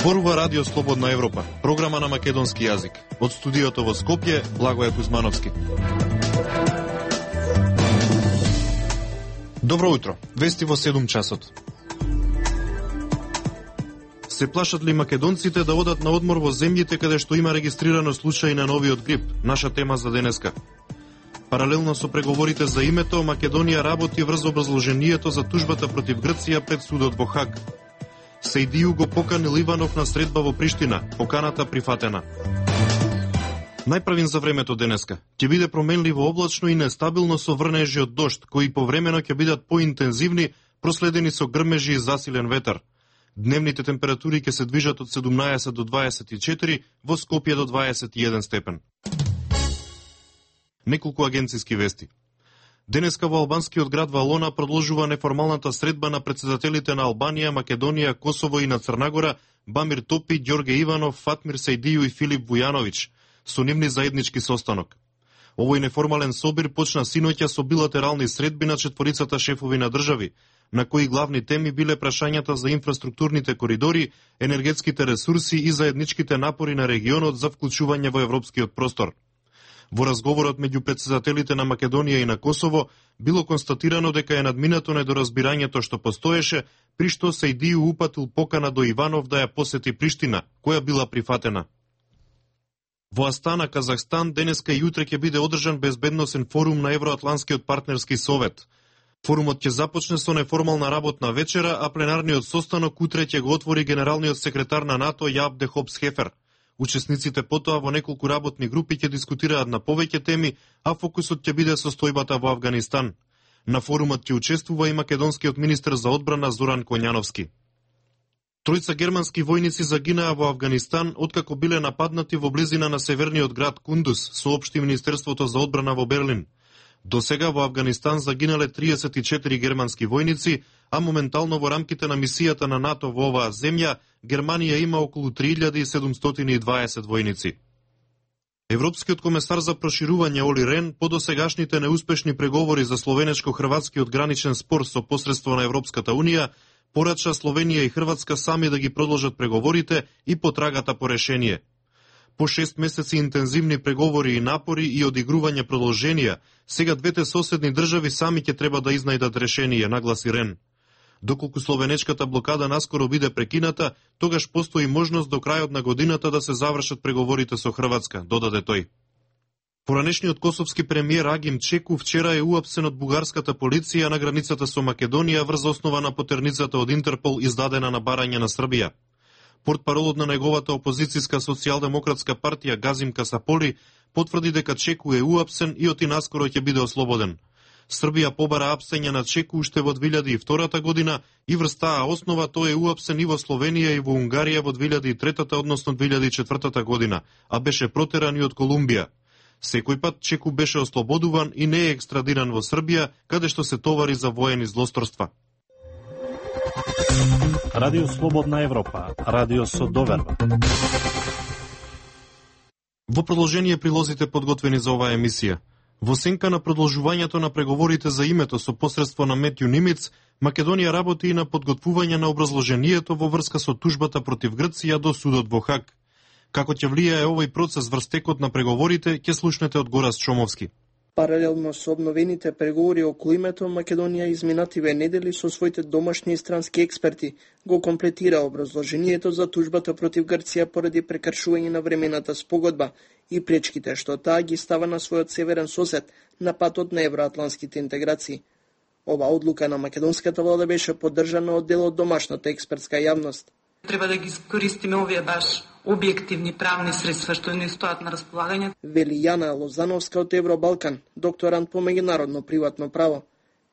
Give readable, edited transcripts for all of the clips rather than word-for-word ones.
Зборува Радио Слободна Европа, програма на македонски јазик. Од студиото во Скопје, Благоје Кузмановски. Добро утро, вести во 7 часот. Се плашат ли македонците да одат на одмор во земјите каде што има регистрирано случаи на новиот грип? Наша тема за денеска. Паралелно со преговорите за името, Македонија работи врз образложението за тужбата против Грција пред судот во Хаг. Сејдију го поканил Иванов на средба во Приштина, поканата прифатена. Најправин за времето денеска. Ќе биде променливо облачно и нестабилно со врнежи од дожд, кои повремено ќе бидат поинтензивни, проследени со грмежи и засилен ветар. Дневните температури ќе се движат од 17 до 24, во Скопје до 21 степен. Неколку агенциски вести. Денеска во албанскиот град Валона продолжува неформалната средба на претседателите на Албанија, Македонија, Косово и на Црнагора, Бамир Топи, Ѓорге Иванов, Фатмир Сејдију и Филип Вујановиќ, со нивни заеднички состанок. Овој неформален собир почна синоќа со билатерални средби на четворицата шефови на држави, на кои главни теми биле прашањата за инфраструктурните коридори, енергетските ресурси и заедничките напори на регионот за вклучување во европскиот простор. Во разговорот меѓу претседателите на Македонија и на Косово било констатирано дека е надминато недоразбирањето што постоеше, при што Сејдију упатил покана до Иванов да ја посети Приштина, која била прифатена. Во Астана, Казахстан, денеска и утре ќе биде одржан безбедносен форум на Евроатланскиот партнерски совет. Форумот ќе започне со неформална работна вечера, а пленарниот состанок утре ќе го отвори генералниот секретар на НАТО Јаб де Хопс-Хефер. Учесниците потоа во неколку работни групи ќе дискутираат на повеќе теми, а фокусот ќе биде состојбата во Авганистан. На форумот ќе учествува и македонскиот министер за одбрана Зоран Коњановски. Тројца германски војници загинаа во Авганистан откако биле нападнати во близина на северниот град Кундус, соопшти Министерството за одбрана во Берлин. До сега во Авганистан загинале 34 германски војници, а моментално во рамките на мисијата на НАТО во оваа земја, Германија има околу 3720 војници. Европскиот комесар за проширување Оли Рен по досегашните неуспешни преговори за словенечко-хрватскиот граничен спор со посредство на Европската Унија, порача Словенија и Хрватска сами да ги продолжат преговорите и потрагата по решение. По 6 месеци интензивни преговори и напори и одигрување продолженија, сега двете соседни држави сами ќе треба да изнајдат решение, нагласи Рен. Доколку словенечката блокада наскоро биде прекината, тогаш постои можност до крајот на годината да се завршат преговорите со Хрватска, додаде тој. Поранешниот косовски премиер Агим Чеку вчера е уапсен од бугарската полиција на границата со Македонија врз основа на потерницата од Интерпол издадена на барање на Србија. Портпаролот на неговата опозицијска социјалдемократска партија Газим Касаполи потврди дека Чеку е уапсен и оти наскоро ќе биде ослободен. Србија побара апсење на Чеку уште во 2002 година и врз таа основа тој е уапсен и во Словенија и во Унгарија во 2003, односно 2004 година, а беше протеран и од Колумбија. Секој пат Чеку беше ослободуван и не е екстрадиран во Србија, каде што се товари за воени злосторства. Радио Слободна Европа, радио со доверба. Во продолжение прилозите подготвени за оваа емисија. Во сенка на продолжувањето на преговорите за името со посредство на Метју Нимиц, Македонија работи и на подготвување на образложението во врска со тужбата против Грција до судот во Хаг. Како ќе влијае овој процес врз текот на преговорите, ќе слушнете од Горас Чомовски. Паралелно со обновените преговори околу името, Македонија изминативе недели со своите домашни и странски експерти го комплетира образложението за тужбата против Грција поради прекршување на времената спогодба и пречките што таа ги става на својот северен сосед на патот на евроатланските интеграции. Ова одлука на македонската влада беше поддржана од дел од домашната експертска јавност. Треба да ги искористиме овие баш објективни правни средства што ни стоат на располагање. Вели Јана Лозановска од Евробалкан, докторант по меѓународно приватно право.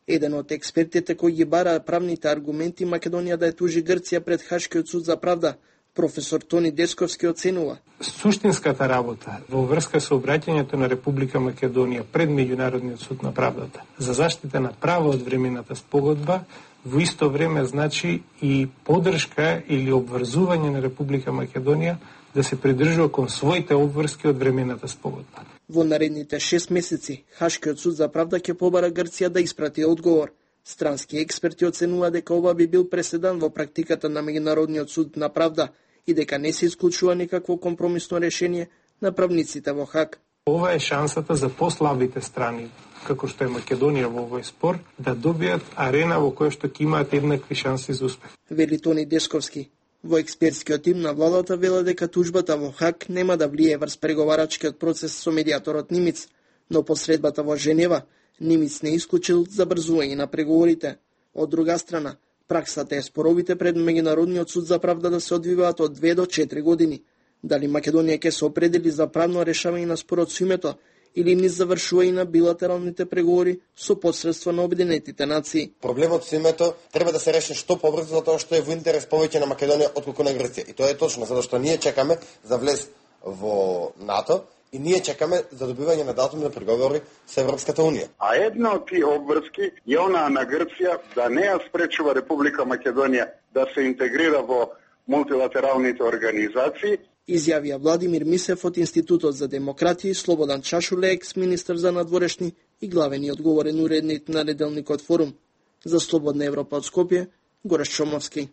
Еден од експертите кои ги бара правните аргументи Македонија да ја тужи Грција пред Хашкиот суд за правда, професор Тони Десковски оценува. Суштинската работа во врска со обраќањето на Република Македонија пред Меѓународниот суд на правдата за заштита на право од времената спогодба во исто време значи и поддршка или обврзување на Република Македонија да се придржува кон своите обврски од времената спогодба. Во наредните 6 месеци Хашкиот суд за правда ќе побара Грција да испрати одговор. Странски експерти оценува дека ова би бил преседан во практиката на Меѓународниот суд на правда и дека не се исклучува никакво компромисно решение на правниците во Хаг. Ова е шансата за послабите страни, како што е Македонија во овој спор, да добијат арена во која што ќе имаат еднакви шанси за успех. Вели Тони Десковски. Во експертскиот тим на владата веле дека тужбата во Хаг нема да влие врз преговарачкиот процес со медиаторот Нимиц, но посредбата во Женева Нимиц не исклучил забрзување на преговорите. Од друга страна, праксата е споровите пред Меѓународниот суд за правда да се одвиваат од 2 до 4 години. Дали Македонија ќе се определи за правно решавање на спорот со името или низ завршување на билатералните преговори со посредство на Обединетите нации. Проблемот со името треба да се реши што побрзо, затоа што е во интерес повеќе на Македонија отколку на Грција. И тоа е точно, затоа што ние чекаме за влез во НАТО и ние чекаме за добивање на датум на преговори со Европската унија. А една од тие обврски е онаа на Грција да не ја спречува Република Македонија да се интегрира во мултилатералните организации. Изјавија Владимир Мисев од Институтот за демократија и Слободан Чашуле, екс-министер за надворешни и главен и одговорен уредник на неделникот Форум. За Слободна Европа од Скопје, Гореш Чомовски.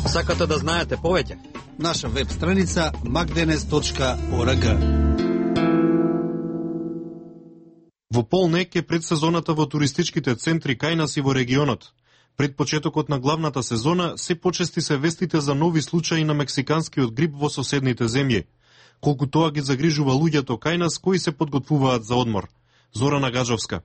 Сакате да знаете повеќе? Наша веб страница magdenes.org. Во полнек е предсезоната во туристичките центри кај нас и во регионот. Пред почетокот на главната сезона се почести се вестите за нови случаи на мексиканскиот грип во соседните земји. Колку тоа ги загрижува луѓето кај нас кои се подготвуваат за одмор. Зорана Гаджовска.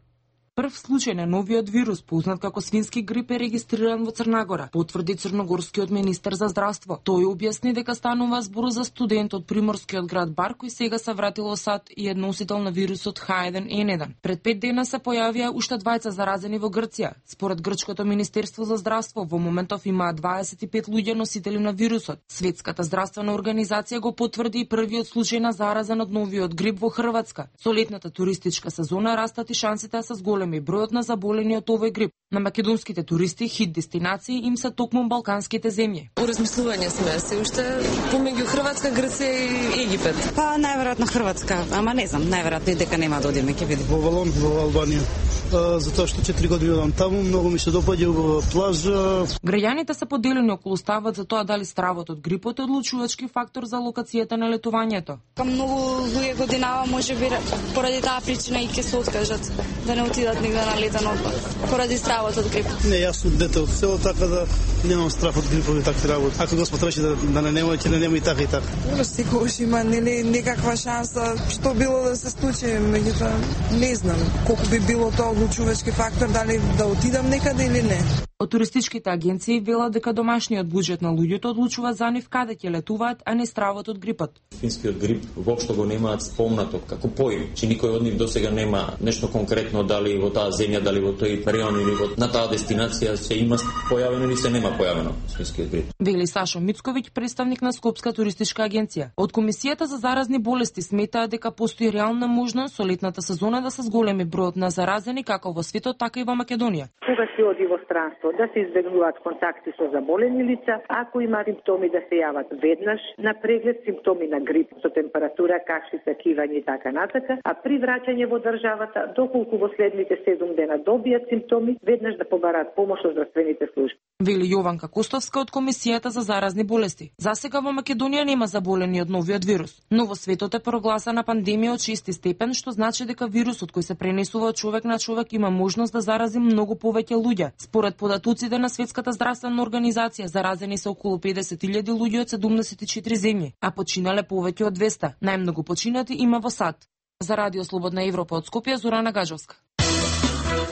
Прв случај на новиот вирус, познат како свински грип, е регистриран во Црнагора, потврди црногорскиот министер за здравство. Тој објасни дека станува збор за студент од приморскиот град Бар кој сега се вратил во САД и е носител на вирусот H1N1. Пред 5 дена се појавија уште 2 заразени во Грција. Според грчкото министерство за здравство, во моментов има 25 луѓе носители на вирусот. Светската здравствена организација го потврди и првиот случај на заразен од новиот грип во Хрватска. Со летната туристичка сезона растат и шансите да се зголеми бројот на заболени од овој грип. На македонските туристи хит дестинации им се токму балканските земји. По размислување сме се уште помеѓу Хрватска, Грција и Египет. Па најверојатно Хрватска, ама не знам, најверојатно и дека нема да одиме, ќе види. Во Валон, во Албанија. Затоа што 4 години одам таму, многу ми се допаѓа во плажа. Граѓаните се поделени околу ставот за тоа дали стравот од грипот е одлучувачки фактор за локацијата на летувањето. Многу луѓе годинава можеби поради таа причина и ќе се откажат да не отидат негде на летен одмор поради стравот од грип. Не, јас сум дете од село, така да немам страв од грипови такви работи. Ако Господ рече да не нема, ќе не нема и така и така. Секогаш има некаква шанса што било да се случи, меѓутоа не знам колку би било тоа одлучувачки фактор, дали да отидам некаде или не. Од туристичките агенции велат дека домашниот буџет на луѓето одлучува за нив каде ќе летуваат, а не стравот од грипот. Финскиот грип воопшто го немаат спомнато како поим, че никој од нив досега нема нешто конкретно дали во таа земја, дали во тој регион или на таа дестинација се има појавено или се нема појавено финскиот грип. Вели Сашо Мицковиќ, представник на Скопска туристичка агенција. Од Комисијата за заразни болести сметаат дека постои реална можност со летната сезона да се зголеми бројот на заразени како во светот, така и во Македонија. Кога се оди во странство, да се избегнуваат контакти со заболени лица, ако има симптоми да се јават веднаш на преглед, симптоми на грип со температура, кашица, кивање и така натака, а при враќање во државата, доколку во следните 7 дена добијат симптоми, веднаш да побараат помош од здравствените служби. Вели Јованка Костовска од Комисијата за заразни болести. За сега во Македонија нема заболени од новиот вирус, но во светот е прогласена пандемија од 6 степен, што значи дека вирусот кој се пренесува од човек на човек има можност да зарази многу повеќе луѓе. Според податоците на Светската здравствена организација, заразени се околу 50.000 луѓе од 74 земји, а починале повеќе од 200. Најмногу починати има во САД. За Радио Слободна Европа од Скопје, Зорана Гаджовска.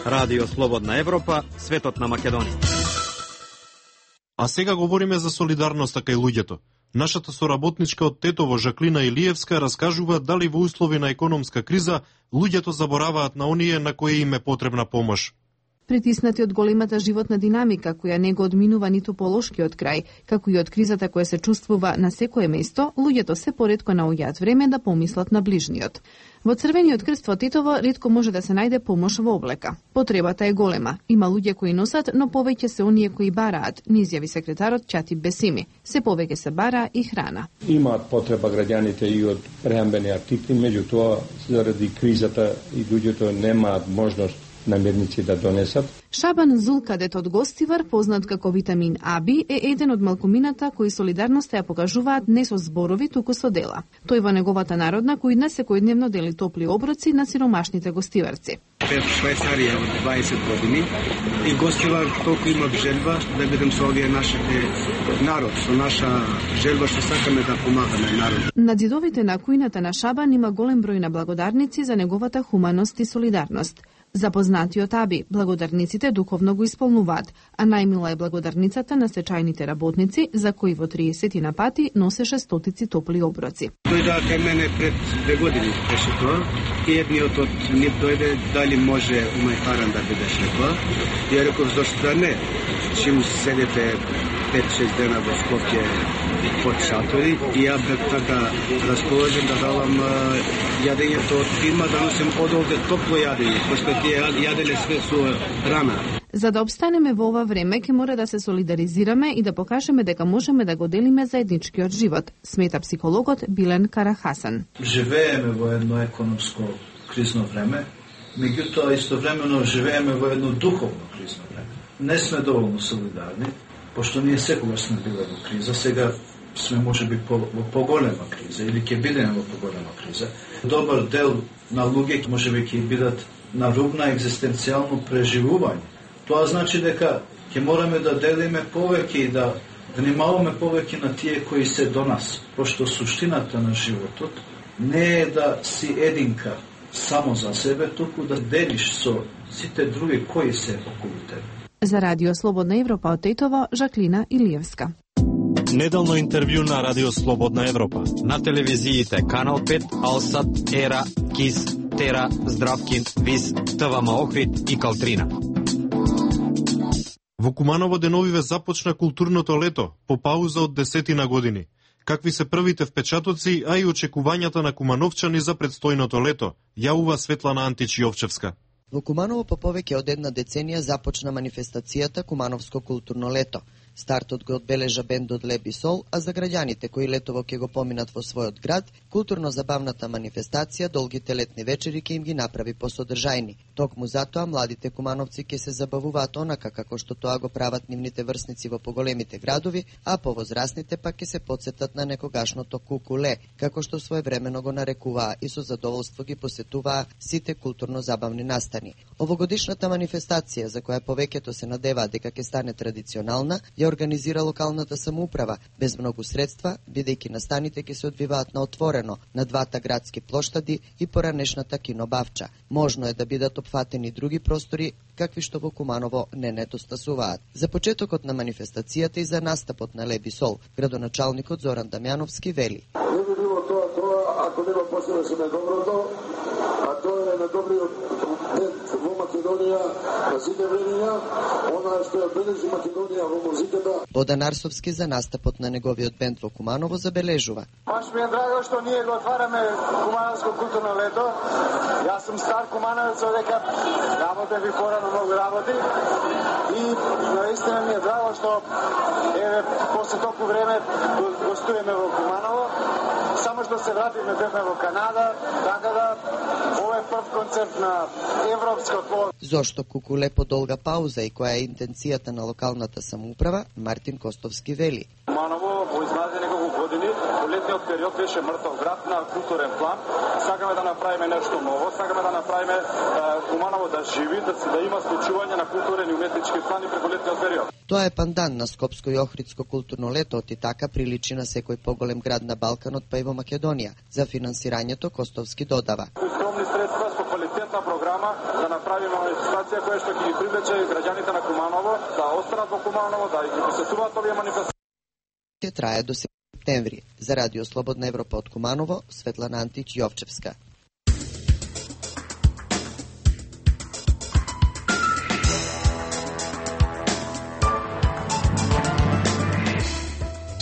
Радио Слободна Европа, светот на Македонија. А сега говориме за солидарноста кај луѓето. Нашата соработничка од Тетово, Жаклина Илиевска, раскажува дали во услови на економска криза луѓето забораваат на оние на кои им е потребна помош. Притиснати од големата животна динамика, која не го одминува ниту полошкиот крај, како и од кризата која се чувствува на секое место, луѓето се поретко наоѓаат време да помислат на ближниот. Во Црвениот крст во Тетово ретко може да се најде помош во облека. Потребата е голема. Има луѓе кои носат, но повеќе се оние кои бараат, ни изјави секретарот Чати Бесими. Се повеќе се бара и храна. Имаат потреба граѓаните и од прехранбени артикли, меѓутоа заради кризата и луѓето немаат можност намирници да донесат. Шабан Зулкадет од Гостивар, познат како Витамин Аби, е еден од малкумината кои солидарноста ја покажуваат не со зборови, туку со дела. Тој во неговата народна кујна секојдневно дели топли оброци на сиромашните гостиварци. Пет Швајцарија од 20 години и Гостивар толку имав желба да бидем со овие нашите народ, со наша желба што сакаме да помагаме народ. На ѕидовите на кујната на Шабан има голем број на благодарници за неговата хуманост и солидарност. Запознатиот Аби, благодарниците духовно го исполнуваат, а најмила е благодарницата на стечајните работници, за кои во 30 на пати носеше стотици топли оброци. Дојде кај мене пред 2 години беше тоа и едниот од нив дојде дали може умајфаран да бидеше тоа. Ја реков зошто да не, чим седете 5-6 дена во Скопје под шатори и ја бев така расположен да давам јадењето од фирма, да носим од овде топло јадење, пошто тие јаделе све со рана. За да обстанеме во ова време, ќе мора да се солидаризираме и да покажеме дека можеме да го делиме заедничкиот живот, смета психологот Билен Карахасан. Живееме во едно економско кризно време, меѓутоа истовремено живееме во едно духовно кризно време. Не сме доволно солидарни, пошто ние секогаш сме биле во криза, сега сме можеби во поголема криза или ќе бидеме во поголема криза. Добар дел на луѓе можеби ќе бидат на руб на екзистенцијално преживување. Тоа значи дека ќе мораме да делиме повеќе и да внимаваме повеќе на тие кои се до нас, пошто суштината на животот не е да си единка само за себе, туку да делиш со сите други кои се околу тебе. За Радио Слободна Европа од Тетово, Жаклина Илиевска. Неделно интервју на Радио Слободна Европа. На телевизиите Канал 5, Алсат, Ера, Кис, Тера, Здравкин, Вис, ТВМ Охрид и Калтрина. Во Куманово деновиве започна културното лето, по пауза од 10 години. Какви се првите впечатоци, а и очекувањата на кумановчани за предстојното лето, јавува Светлана Антич-Јовчевска. Во Куманово по повеќе од една деценија започна манифестацијата Кумановско културно лето. Стартот го одбележа бендот Леб и Сол, а за граѓаните кои летово ќе го поминат во својот град, културно-забавната манифестација долгите летни вечери ќе им ги направи посодржајни. Токму затоа младите кумановци ќе се забавуваат онака како што тоа го прават нивните врсници во поголемите градови, а повозрасните пак ќе се потсетат на некогашното кукуле, како што своевремено го нарекуваа и со задоволство ги посетуваа сите културно-забавни настани. Овогодишната манифестација, за која повеќето се надеваат дека ќе стане традиционална, ја организира локалната самоуправа, без многу средства, бидејќи настаните ќе се одвиваат на отворено, на двата градски плоштади и поранешната кинобавча. Можно е да бидат опфатени други простори, какви што во Куманово не недостасуваат. За почетокот на манифестацијата и за настапот на Леб и Сол, градоначалникот Зоран Дамјановски вели. Не би било тоа, ако нема посебно на доброто, а тоа е на добриот бенд во Македонија, на сите времења, она што ја бележи Македонија во музиката. Бодан Арсовски за настапот на неговиот бенд во Куманово забележува. Баш ми е драго што ние го отвараме Кумановско културно лето. Јас сум стар кумановец, одека работев и порано многу работи и наистина ми е драго што еве после толку време гостуваме во Куманово. Само што се вратиме бевме во Канада, така да ова е прв концерт на европско тло. Зошто кукуле по долга пауза и која е интенцијата на локалната самоуправа, Мартин Костовски вели. Куманово во изминатите неколку години, во летниот период беше мртов град на културен план. Сакаме да направиме нешто ново, сакаме да направиме Куманово да живи, да има случување на културен и уметнички план и преку летниот период. Тоа е пандан на Скопско и Охридско културно лето, и така приличи на секој поголем град на Балканот, па и во Македонија. За финансирањето Костовски додава. Скромни средства со квалитетна програма да направиме манифестација која што ќе ги привлече граѓаните на Куманово, да останат во Куманово, да ги посетуваат овие манифестации. Ќе трае до септември. За Радио Слободна Европа од Куманово, Светлана Антич-Јовчевска.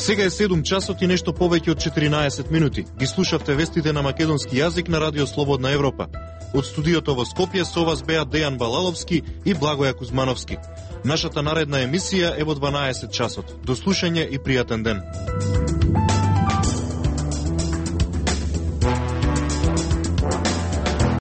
Сега е 7 часот и нешто повеќе од 14 минути. Ги слушавте вестите на македонски јазик на Радио Слободна Европа. Од студиото во Скопје со вас беа Дејан Балаловски и Благоја Кузмановски. Нашата наредна емисија е во 12 часот. До слушање и пријатен ден.